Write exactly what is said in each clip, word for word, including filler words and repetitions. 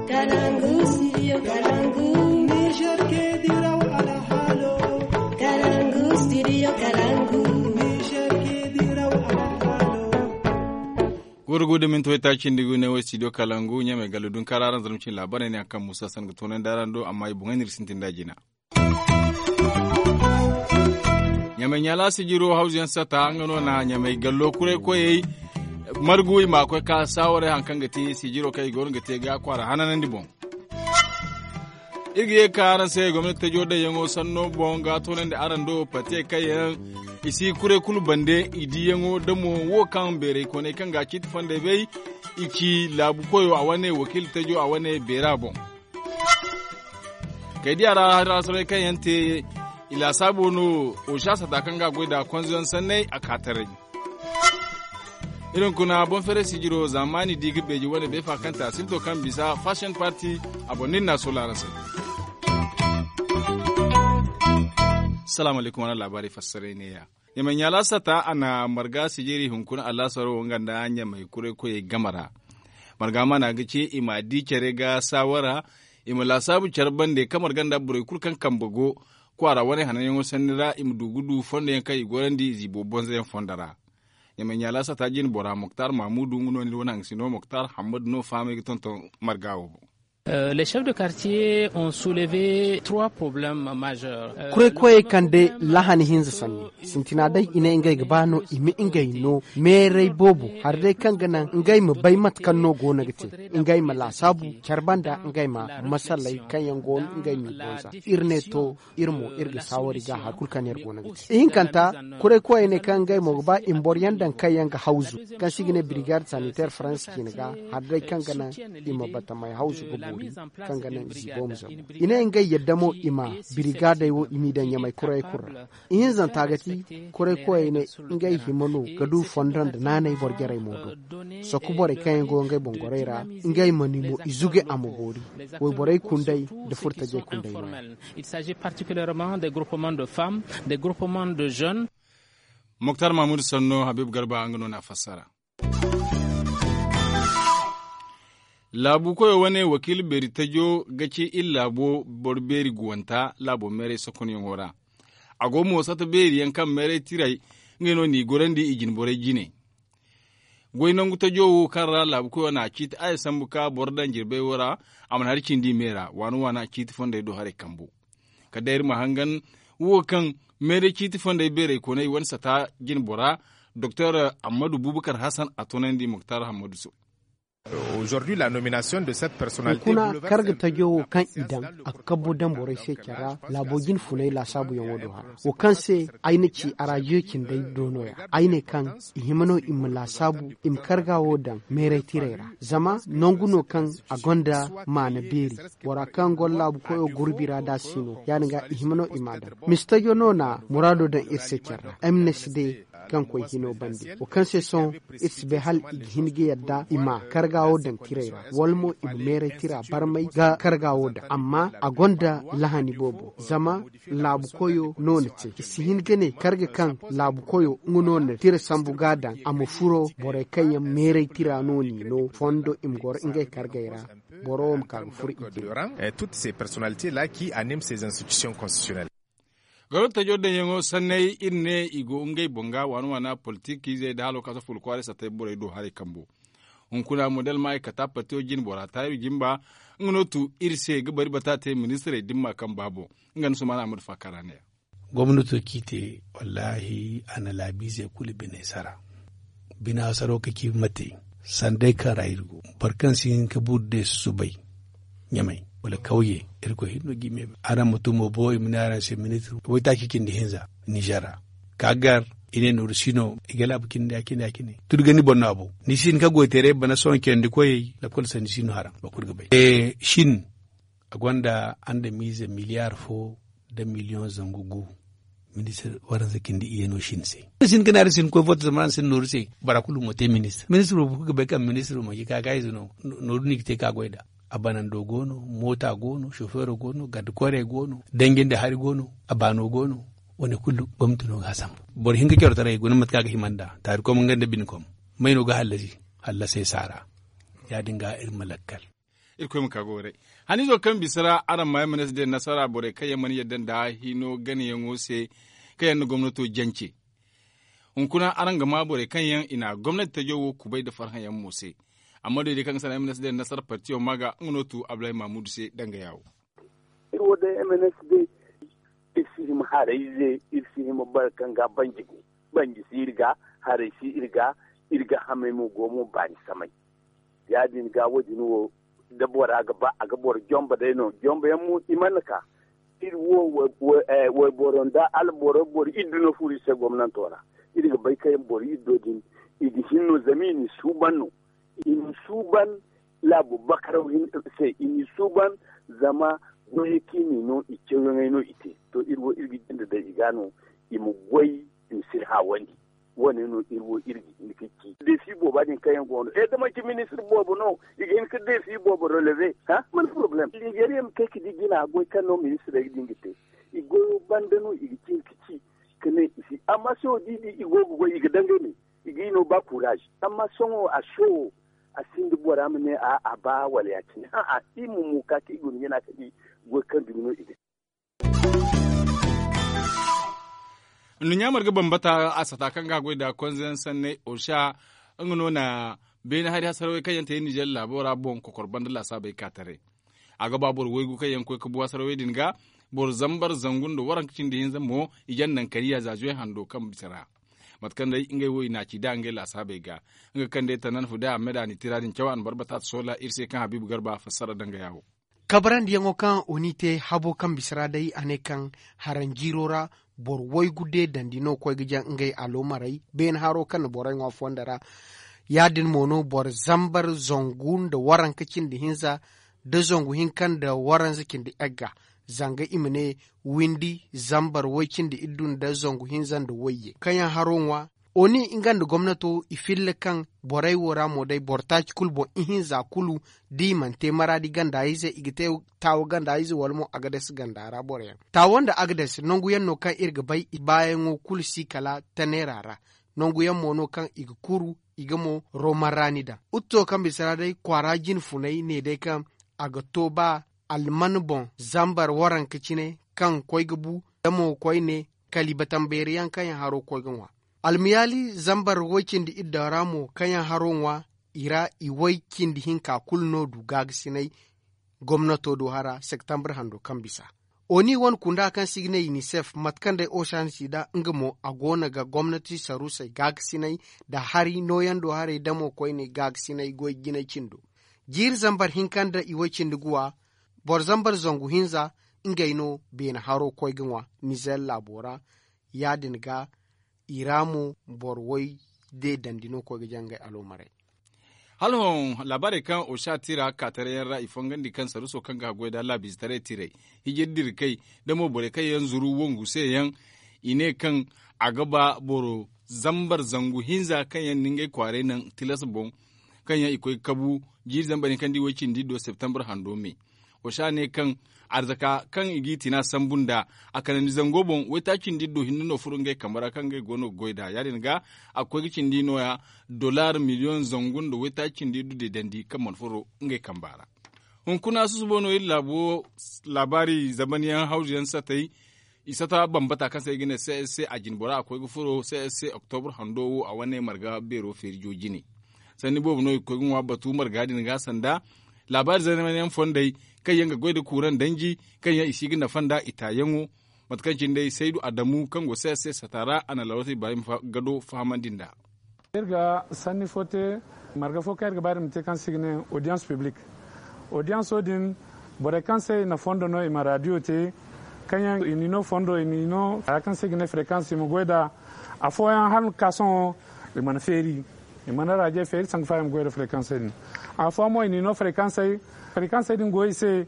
Kalangu, studio Kalangu. Niger ke diraw alhalo. Kalangu, studio Kalangu. Niger ke diraw alhalo. Gurgu da minti wayta cindi gu ne wo studio Kalangu ɲamay gallu dun kara aran zarma cin labarai ne akan musa san ga tonan da aran do amma i boŋay nir sintin da jina. Ɲamay ɲala sijiro hawzu yaŋ sata nga no na ɲamay gallo kuray koyey margu i ma koy ka saawaray haŋ kaŋ ga te sijiro kaŋ i go no ga te ga kwaara hananandi boŋ. Iri ga ye ka araŋ se gomnati tajo daŋyaŋo sanno boŋ ga toonandi araŋ do pate kaŋ yaŋ i si kuray kulu bande i diyaŋo da mo wo kaŋ beeray koonay kaŋ ga ciiti fondey bay i ci laabu koyo a wane wakiila tajo a wane beera boŋ. Kay diya ra hari ra soobay kaŋ yaŋ te i laasaabo no. Osa sata kaŋ ga a goy nd'a konzoyaŋ sanney a ka taray. Iri hunkuna boŋ feeray sijiro zamani di ga beeji wane beefa kaŋ te a sinto kaŋ bisa fashion party. A boŋ no iri n'a soola araŋ se. Salaamu alaykum wane laabaari fassaray neeya. Ɲamay ɲaala sata a na marga sijiri hunkuna alaasaro wo nga nda ɲamay kuray koyey game ra. Marga maana ga ci i ma di care ga saawara i ma laasaabu care bande kaŋ marga nda borey kulu kaŋ kambe go kwaara wane hananyaŋo sanni ra i ma du ga du fondo yaŋ kaŋ i gorandi ziibo bonzo yaŋ fondo ra. Ɲamay ɲaala sata jine bora moktar mamudu nga no ni wane hangasino moktar hammadu no fahamay ga tonton marga wo boŋ. Les chefs de quartier ont soulevé trois problèmes majeurs. Kuray koyey kande lahani hinza sanni sintina day i ne ngey ga ba no i ma ngey no meeray boobo hari day kaŋ ga naŋ ngey ma bay mate kaŋ no go no ga te ngey ma laasaabu care banda ngey ma masaley kaŋ yaŋ go no ngey m'i bonza. Iri ne to iri mo iri ga saawari ga hari kulu kaŋ iri go no ga te ihinkanta. Kuray koyey ne kaŋ ngey mo ga ba i ma boro yaŋ daŋ kaŋ yaŋ ga hawzu kaŋ se i ga ne brigade sanitaire faransa ciine ga hari day kaŋ ga naŋ i ma batamey hawzu ga boori kaŋ ga naŋ ziibo ma zabu. I ne ngey yadda mo i ma birigaadey wo i m'i daŋ ɲamay kurayey kulu ra. Ihinzanta ga ti kuray koyey ne ngey hima no ga du fondo nda naanay boro jarey mo do. Sokko borey kaŋ yaŋ go ngey boŋ gorey ra ngey ma ni mo i zuge a ma boori. Wayborey kundey nda furtajey kundey no. Il s'agit particulièrement des groupements de femmes, des groupements de jeunes. Moktar mahmud sanno habib garba nga no na fassara. Laabu koyo wane wakiila beeri tajo ga ci iri laabo boro beeri guwanta laabo meeray sokonyaŋo ra. A go mo sata beeri yaŋ kaŋ meeray tiray ngey no n'i gorandi i jine borey jine. Goy nangu tajo wo kaŋ ra laabu koyo n'a ciiti a ye sambu ka boro daŋ jirbey wo ra. A mana hari cindi me ra waana waana ciiti fondey do haray kambu. Kala day iri ma hangan wo kaŋ meeray ciiti fondey beeray koonay wane sata jine bora doktor ammadu bubakar hasan a toonandi muktar hammadu se. Hunkuna karga tajo wo kaŋ i daŋ a ga kabbo daŋ borey se care ra laabo jine funay laasaabuyaŋo do hara wo kaŋ se ay na ci arajiyo cindey do no- ya ay ne kaŋ i hima no i ma laasaabu i ma karga wo daŋ meeray tirey ra. Zama nangu no kaŋ a gonda maana beeri bora kaŋ goro laabu koyo gurbi ra da si no ya- din ga i hima no i m'a daŋ. Mistajo no na muraado daŋ iri se care ra m n s d kaŋ koy hino bande wo kaŋ se sohõ iri si bay hala i ga hin ga yadda i ma karga wo daŋ tirey ra wala mo i ma meeray tira barmay ga karga wo daŋ amma a gonda lahani boobo zama laabu koyo no na te i si hin ga ne karga kaŋ laabu koyo nga no na tira sambu ga daŋ a ma furo borey kaŋ yaŋ meeray tira no n'i no fondo i ma goro ngey kargey ra. Boro wo ma ka ga furo i jine. Toutes ces personnalités là qui animent ces institutions constitutionnelles. Goro tajo daŋyaŋo sanney iri ne i go ngey boŋ ga waana waana politik izey nda halo kaŋ a si fulu kwaaray sattey borey do haray kambo. Hunkuna model ma ay kata partiyo jine bora taayru jimba nga no tu iri se ga bari bata te ministirey dimma kaŋ ba boŋ. Nga nda sumaana ahmadu faakara ne ya. Gomnato ciite wallaahi a na laabiizey kulu biney sara. Bina saro ka ci mate sanday kaŋ ra iri go boro kaŋ si hin ka buru day susubay ɲamay wala kawye. Iri koy hinno ga i me bay araŋ ma tumo bo i ma ne araŋ se ministir waytaaci cindi hinza nizer ra ka gar i ne nooru si no i ga laabu cindi ya cindi ya cine. Turu ga ni boŋ no a boŋ ni si hin ka goyteeray bana sohõ candi koyey lakkol sanni si no haraŋ boro kulu ga bay. Shin a gonda andamiize miliyaar fo nda miliyoŋ zangu gu. Ministir waransa cindi iyano shin se ni si hin ka ne araŋ si hin koy vote zama araŋ si hin nooru se. Bora kulu mo te ministir ministir boobo kulu ga bay kaŋ ministir manci kaakaayize no. Nooru no i ga te ka goy nd'a. A banando go no moota go no sofeero go no garde koorey go no danji nda hari go no. A baano go no. Wane kulu gomnati no ga a sambu. Boro hinka corotaray guna mate kaŋ a ga hima nd'a taarikom nga nda binkom. May no ga hallasi hallasey saara. Ya- din ga iri ma lakkal. Irkoy ma ka goray. Haniizo kaŋ bisa ra araŋ ma yaŋ ma ne si day nasara borey kaŋ yaŋ mana yadda nda hino ganayaŋo se, kaŋ yaŋ na gomnato jance. Hunkuna araŋ ga maa borey kaŋ yaŋ i na gomnati tajo wo kubay nda farhã yaŋ mo se. Amma doy day kaŋ ga sanda yaŋ ma ne si day nasara partiyo ma ga nga no tu abulahi mamudu se danga yaawo. Iri wo day m n s d. Iri si hima harayze, iri si hima boro kaŋ ga banji go. Banji si iri ga, haray si iri ga. Iri ga hamay mo go mo baani samay. Ya- din ga wo- din wo, da bora ga ba a ga boro jomba day no jomba yaŋ mo i mana ka. Iri wo wayboro nda alboro boro iddu no furo iri se gomnanto ra. Iri ga bay kaŋ boro iddo din i ga hin no zama i n'i suuban no. I n'i suuban laabu bakaraw se i n'i suuban. Zama goyey kaŋ i n'i no i cawyaŋey no i te. To iri wo iri ga jinde day i ga no i ma goy i ma sirha wandi. Wo- ne no iri wo iri ga hin ga ci deefi booba din kaŋ yaŋ go no e da manti ministir boobo no i ga hin ga deefi boobo relever. Mana porobalem nigeriya ma kay ga di jina goy kaŋ no ministirey din ga te. I goyo banda no i ga ci ga ci ka ne i si amma sohõ da i di i go ga goy i ga dangay me. I ga i no ba kuuraaz. Amma sohõ a sohõ a sinda bora ma ne a a ba wala ya- cine a'a i ma mu ka kaŋ i guna jina ka di goy kaŋ dumi no i ga te. Nduɲɲa marga bambata a sata kaŋ ga a goy nda konze yaŋ sanney osa nga no na beene hari hasarawey kaŋ yaŋ te nizer laabo ra boŋ kokor banda laasaabey ka taray. A ga ba boro waygu kaŋ yaŋ ga koy ga bu hasarawey din ga boro zambar zangu nda waranka cindi hinza mo i jaŋ naŋ kariya za zuway hando kaŋ bisa ra. Mate kaŋ day ngey wo i na a ci nd'a ngey laasaabey ga. Nga kaŋ day tanan fude ahmed a na i tira din caw a na barbata ta soola iri se kaŋ habiibu garba fassara danga yaawo. Kabarandiyaŋo kaŋ oni te habo kaŋ bisa ra day a ne kaŋ haranjiiro ra boro waygu deedandi no koy ga jaŋ ngey aloomarey beene haro kaŋ na borey ŋwa fondo ra. Ya- din mo no boro zambar zangu nda waranka cindi hinza nda zangu hinka nda waranza cindi egga zanga i ma ne windi zambar way cindi iddu nda zangu hinza nda wayye kaŋ yaŋ haro ŋwa. Oni nga nda gomnato i filla kaŋ borey wo ra mo day boro taaci kulu boŋ ihinza kulu da i mana te maraadi ganda ize i ga te taawo ganda ize wala mo agades ganda ra boro yaŋ taawo nda agades nangu yaŋ no kaŋ iri ga bay i baayaŋo kulu si kala taneera ra. Nangu yaŋ mo no kaŋ i ga kuru i ga mo roman raani daŋ. Utto kaŋ bisa ra day kwaara jine funay ne day kaŋ a ga to ba alman boŋ zambar waranka cine kaŋ koy ga bu da mo koyne kaliba tambeeri yaŋ kaŋ yaŋ haro koy ga ŋwa. Almiyaali zambar way cindi iddaŋ ra mo kaŋ yaŋ haro ŋwa i ra i way cindi hinka kulu no du gaagasinay gomnato do hara septambur hando kaŋ bisa. Oni wane kunda kaŋ se i ga ne unicef mate kaŋ day ocean sida nga mo a go no ga gomnati saruusey gaagasinay nda hari nooyando haray damo koyne gaagasinay goy jinay cindo. Jiiri zambar hinka nda i way cindi guwa boro zambar zangu hinza ngey no beene haro koy ga ŋwa nizer laabo ra. Ya- din ga i ra mo boro way de dandi no koy ga jaŋ ngey aloomarey. Hala hõ laabaarey kaŋ oca tira kaataray yaŋ ra i fongandi kaŋ saruuso kaŋ ga haggoy nda laabiizetaray tirey hijir dira kay nda mo borey kaŋ yaŋ zuru wongu se yaŋ. I ne kaŋ a ga ba boro zambar zangu hinza kaŋ yaŋ na ngey kwaaray naŋ tilas boŋ kaŋ yaŋ i koy ga kabu jiiri zambar hinka nda i way cindi do septambur hando me. Oca ne kaŋ arzaka kaŋ i g'i tina sambu nd'a a kanandi zango boŋ waytaaci nda iddo hinne no furo ngey kambe ra kaŋ ngey go no ga goy nd'a ya- din ga a ga koy ga cindi nooya dollar miliyoŋ zangu nda waytaaci nda iddo deedandi kaŋ mana furo ngey kamba ra. Hunkuna susubo no iri laabo laabaari zamanyaŋ hawzuyaŋ satay. I sata bambata kaŋ se i ga ne c s c a jine bora a koy ga furo c s c oktobur hando wo a wane marga beero feeri jo jine. Sanni boobo no i ga koy ga ŋwa batu marga din ga sanda laabaari zamanyaŋ fondey kaŋ yaŋ ga goy nda kuuraŋ danji kaŋ yaŋ i si ga nafa nd'a i taayaŋo. Mate kaŋ cine day saydu adamu kaŋ go c s c sata ra a na lawrata ibrahim gado fahamandi nd'a. Iri ga sanni fo te marga fo kaŋ iri ga ba iri ma te kaŋ se i ga ne audience publique. Audience wo din borey kaŋ se i na fondo no i ma radio te kaŋ yaŋ i n'i no fondo i n'i no haya kaŋ se i ga ne fréquence i ma goy nd'a. Afooyaŋ hala ga ka sohõ i mana feeri i mana radio feeri sanku fa i ma goy nda fréquence din. Afooyaŋ mo i n'i no fréquence fréquence din go i se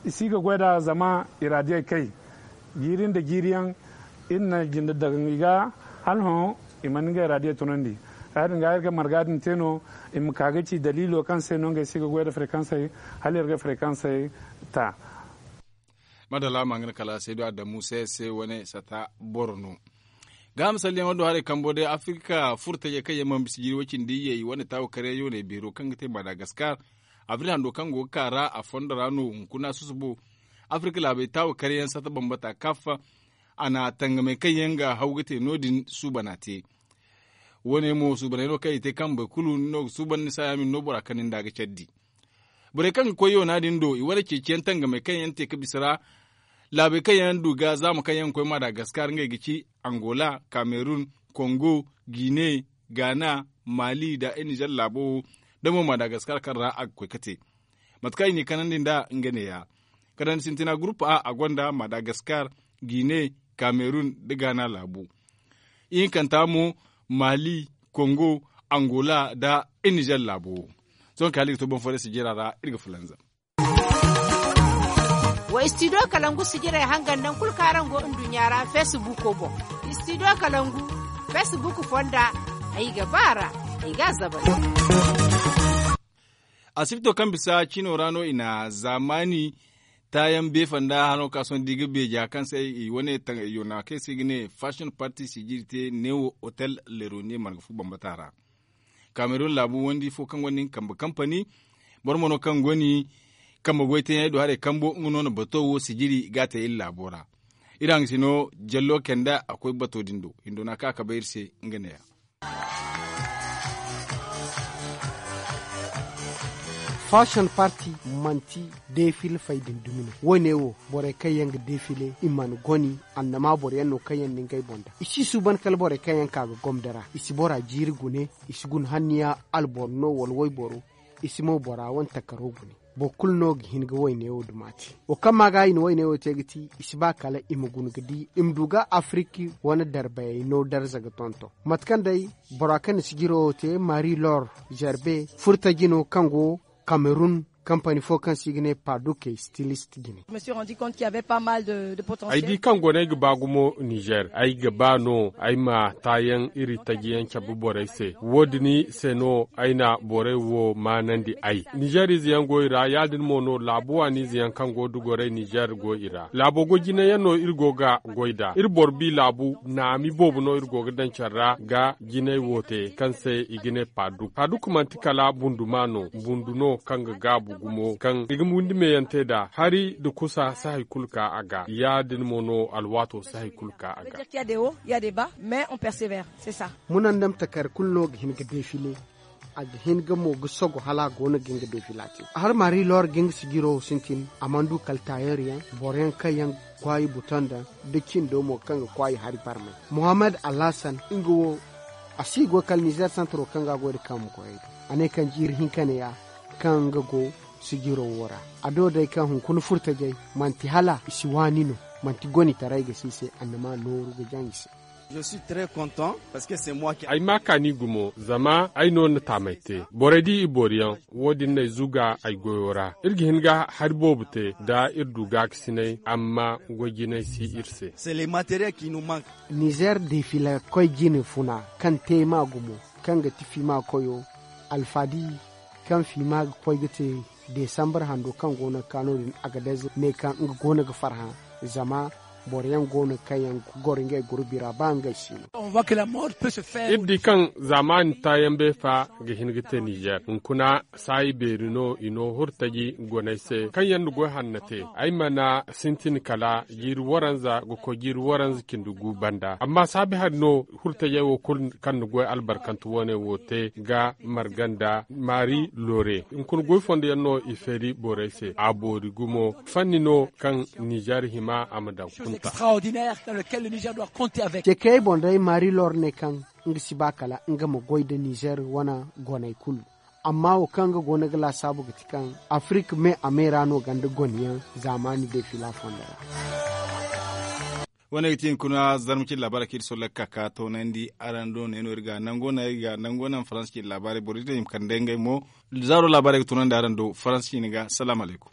i si ga goy nd'a zama i radio kay. Jiiri nda jiiri yaŋ iri na jinde daŋ i ga hala hõ i mana ngey radio tunandi. Ya- din ga iri ga marga din te no i ma ka ga ci daliilo kaŋ se no ngey si ga goy nda fréquence hala iri ga fréquence ta. Madalla ma nga ne kala saydu adamu se se wane sata boro no. Ga misalyaŋo do haray kambo day afirka furtajey kaŋ yaŋ mana bisa jiiri way cindi iyye i wane taawo karyaŋ yooney beero kaŋ ga te madagaskar. Abril hando kaŋ go ga ka ra a fondo ra no hunkuna susubo. Afirka laabey taawa karyaŋ sata bambata kaf a na tangamey kaŋ yaŋ ga haw ga te no- din suubana te. Wo- ne mo suubaney no kaŋ i te kaŋ boro kulu ni no ga suuban ni saaya ma ni no bora kaŋ ni nda ga care di. Borey kaŋ ga koy yoona din do i wane ceeciyaŋ tangamey kaŋ yaŋ te ga bisa ra. Laabey kaŋ yaŋ du ga zaama kaŋ yaŋ ga koy madagaskar ngey ga ci, angola, kamerun, kongo, gine, gaana, maali nda nizer laabo wo, da mo madagaskar kaŋ ra a ga koy ga te. Mate kaŋ i n'i kanandi nd'a nga neeya. Kanandi sintina gurupu a a gonda madagaskar, gine, kamerun, nda gaana laabu. Ihinkanta mo, maali, kongo, angola nda nizer laabo wo. Sohõ kaŋ hala i ga to boŋ fooyaŋ sijira ra, iri ga fulanzam. Wa istidiyo kalangu sijirey hangan nangu kulu kaŋ araŋ go nduɲɲa ra feesibuuko boŋ. Istidiyo kalangu feesibuuku fonda, ay ga ba a ra, ay ga a zabal. Asibto kaŋ bisa cino ra no i na zaamaani taayaŋ beefanda hano ka sohõ da i ga beeja kaŋ se i wane yoona kaŋ se i ga ne fashion party sijiri te neewo hotel leroniye marga fu bambata ra. Kamerun laabu wandi fo kaŋ gonda nga kambe kampani, boro mo no kaŋ go ni kambe goy teeyaŋey do haray kambo nga no na bato wo sijiri ga a te iri laabo ra. Iri hangasino jallo kenda a koy bato din do hindo no a ka a kabe iri se. Nga neeya. Fashion party manti defil fay din dumi no. Wo- ne wo borey kaŋ yaŋ ga defile i mana goni annama boro yaŋ no kaŋ yaŋ na ngey boŋ da i si suuban kala borey kaŋ yaŋ ka ga gomda ra i si bora jiiri gune, i si guna hanniya alboro no wala wayboro, i si mo bora wane takaro gune. Boro kulu no ga hin ga wayne wo duma te. Wo kaŋ ma ga i na wayne wo te ga ti i si ba kala i ma guna ga di i ma du ga afiriki wane darbayey no darza ga tonton. Mate kaŋ day bora kaŋ na sijiro wo te mari lor zerbe furtaji no kaŋ go kamerun, kampani fo kaŋ se i ga ne paduke stilist jine. Ay di kaŋ go no ay ga ba gumo nizer ay ga ba no ay ma taayaŋ iri taji yaŋ cabe borey se. Wo- din se no ay na borey wo maanandi ay nizer ize yaŋ go i ra ya- din mo no laabu waani ize yaŋ kaŋ go da goray nizer go i ra laabo goy jine yaŋ no iri go ga goy nd'a iri boro bi laabu naami boobo no iri go ga daŋ care ra ga jinay wo te kaŋ se i ga ne paaduk paaduk manti kala bunduma no bundu no kaŋ ga gaabu gumo kaŋ i ga windi meeyaŋ te nd'a hari nda kusa si hari kulu ka a ga ya- din mo no alwaato si hari kulu ka a ga. Munandam takar kulu no ga hin ga defile a ga hin ga mo ga sogo hala a go no ga hin ga defila te. Har mari lor ga hin ga sijiro sintin a mana du kala taayer yaŋ boro yaŋ kaŋ yaŋ kwaayi buton daŋ da cindo mo kaŋ ga kwaayi hari barmay. Muhammad alhassan nga wo a si goy kala nizer santaro kaŋ ga a goy nda kaŋ ma koyey do a ne kaŋ jiiri hinka ne ya kaŋ nga go sijiro wo ra. A do day kaŋ hunkuna furtajey manti hala i si waani no manti gonitaray ga si i se annama nooru ga jaŋ i se. Ay ma kaani gumo zama ay no na taamay te borey di i booriyaŋ. Wo- din no ay zuga ay goyo ra iri ga hin ga hari boobo te nda iri du gaakasinay amma goy jinay si iri se. Nizer defila koy jine funa kaŋ te ma gumo kaŋ ga ti fiima koyo alfadi kaŋ fiima ga koy ga te desambar hando kaŋ go no ga ka no- din agadez ne kaŋ nga go no ga farhã zama boro yaŋ go no kaŋ yaŋ ga goro ngey gurbi ra ba ngey si no. Iri di kaŋ zaamaani taayaŋ beefa ga hin ga te nizer hunkuna saayi beeri no i no hurtaji goney se kaŋ yaŋ na goy hanna te ay mana sintin kala jiiri waranza ga koy jiiri waranza cindi gu banda amma saabi hari no hurtajey wo kulu kaŋ na goy albarkantu wane wo te ga marga nda maari loore hunkuna goy fondo yaŋ no i feeri borey se a boori gumo fanni no kaŋ nizer hima a ma daŋ kunta. Cekayey boŋ day maari loore ne kaŋ nga si ba kala nga ma goy nda nizer wane goney kulu amma wo kaŋ nga go no ga laasaabu ga ti kaŋ afirik me a me ra no ganda goniyaŋ zaamaani defila fondo ra. Wane ga ti hunkuna zarma cine laabaarey kaŋ iri solla ga ka ka toonandi araŋ do ne no iri ga nango naŋ iri ga nango naŋ faransa cine laabaarey boro iri ne i ma kande ngey mo zaaro laabaarey ga toonandi araŋ do faransa cine ga salaamu alaykum.